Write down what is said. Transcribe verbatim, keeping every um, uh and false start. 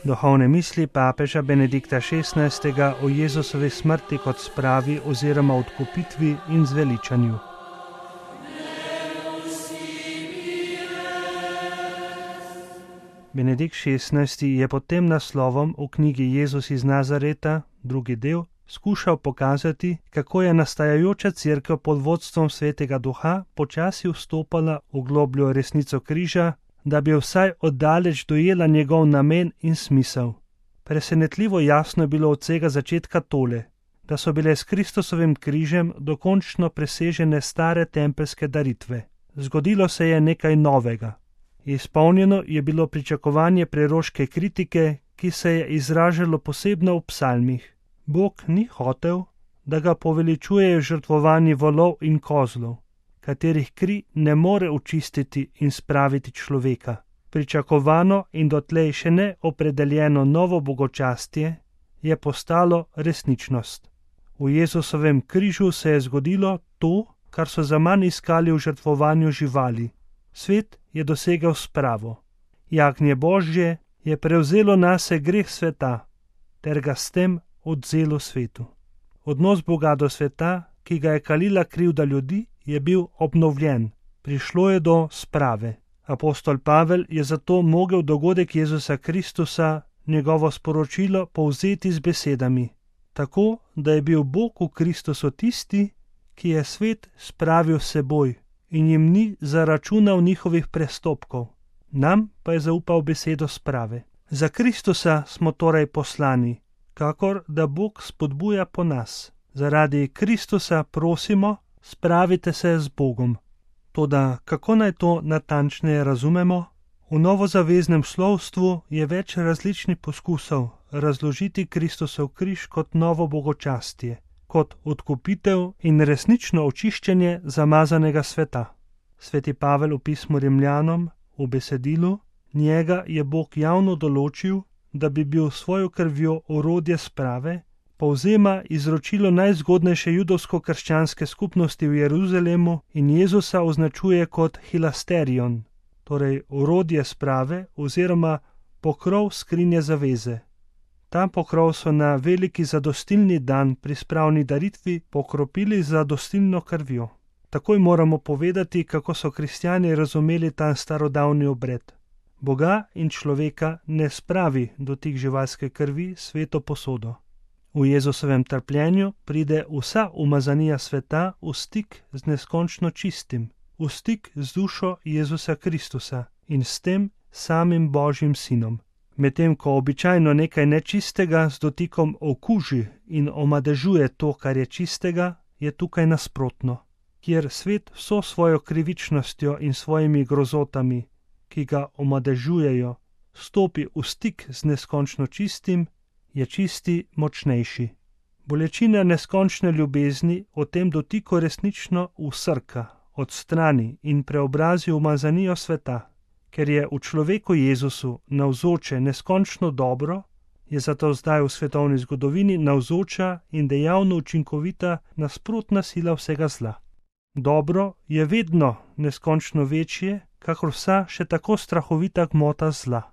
Duhovne misli papeža Benedikta šestnajstega o Jezusovi smrti kot spravi oziroma odkupitvi in zveličanju. Benedikt šestnajsti je pod tem naslovom v knjigi Jezus iz Nazareta, drugi del, skušal pokazati, kako je nastajajoča cerkev pod vodstvom Svetega Duha počasi vstopala v globljo resnico križa, da bi vsaj oddaleč dojela njegov namen in smisel. Presenetljivo jasno je bilo od vsega začetka tole, da so bile s Kristusovim križem dokončno presežene stare tempelske daritve. Zgodilo se je nekaj novega. Izpolnjeno je bilo pričakovanje preroške kritike, ki se je izražalo posebno v psalmih. Bog ni hotel, da ga poveličujejo žrtvovanji volov in kozlov, katerih kri ne more očistiti in spraviti človeka. Pričakovano in dotlej še ne opredeljeno novo bogočastje je postalo resničnost. V Jezusovem križu se je zgodilo to, kar so zaman iskali v žrtvovanju živali. Svet je dosegel spravo. Jagnje Božje je prevzelo nase greh sveta, ter ga s tem odvzelo svetu. Odnos Boga do sveta, ki ga je kalila krivda ljudi, je bil obnovljen. Prišlo je do sprave. Apostol Pavel je zato mogel dogodek Jezusa Kristusa, njegovo sporočilo, povzeti z besedami, tako da je bil Bog v Kristusu tisti, ki je svet spravil s seboj in jim ni zaračunal njihovih prestopkov, nam pa je zaupal besedo sprave. Za Kristusa smo torej poslani, kakor da Bog spodbuja po nas. Zaradi Kristusa prosimo, spravite se z Bogom. Toda kako naj to natančneje razumemo? V novozaveznem slovstvu je več različnih poskusov razložiti Kristusov križ kot novo bogočastje, kot odkupitev in resnično očiščenje zamazanega sveta. Sveti Pavel v pismu Rimljanom v besedilu: njega je Bog javno določil, da bi bil svojo krvjo orodje sprave, povzema izročilo najzgodnejše judovsko-krščanske skupnosti v Jeruzalemu in Jezusa označuje kot hilasterion, torej orodje sprave oziroma pokrov skrinje zaveze. Ta pokrov so na veliki zadostilni dan pri spravni daritvi pokropili z zadostilno krvjo. Takoj moramo povedati, kako so kristjani razumeli ta starodavni obred. Boga in človeka ne spravi dotik živalske krvi sveto posodo. V Jezusovem trpljenju pride vsa umazanija sveta v stik z neskončno čistim, v stik z dušo Jezusa Kristusa in s tem samim Božjim sinom. Medtem ko običajno nekaj nečistega z dotikom okuži in omadežuje to, kar je čistega, je tukaj nasprotno, kjer svet vso svojo krivičnostjo in svojimi grozotami, ki ga omadežujejo, stopi v stik z neskončno čistim, je čisti močnejši. Bolečina neskončne ljubezni v tem dotiku resnično usrka, odstrani in preobrazi umazanijo sveta. Ker je v človeku Jezusu navzoče neskončno dobro, je zato zdaj v svetovni zgodovini navzoča in dejavno učinkovita nasprotna sila vsega zla. Dobro je vedno neskončno večje, kakor vsa še tako strahovita gmota zla.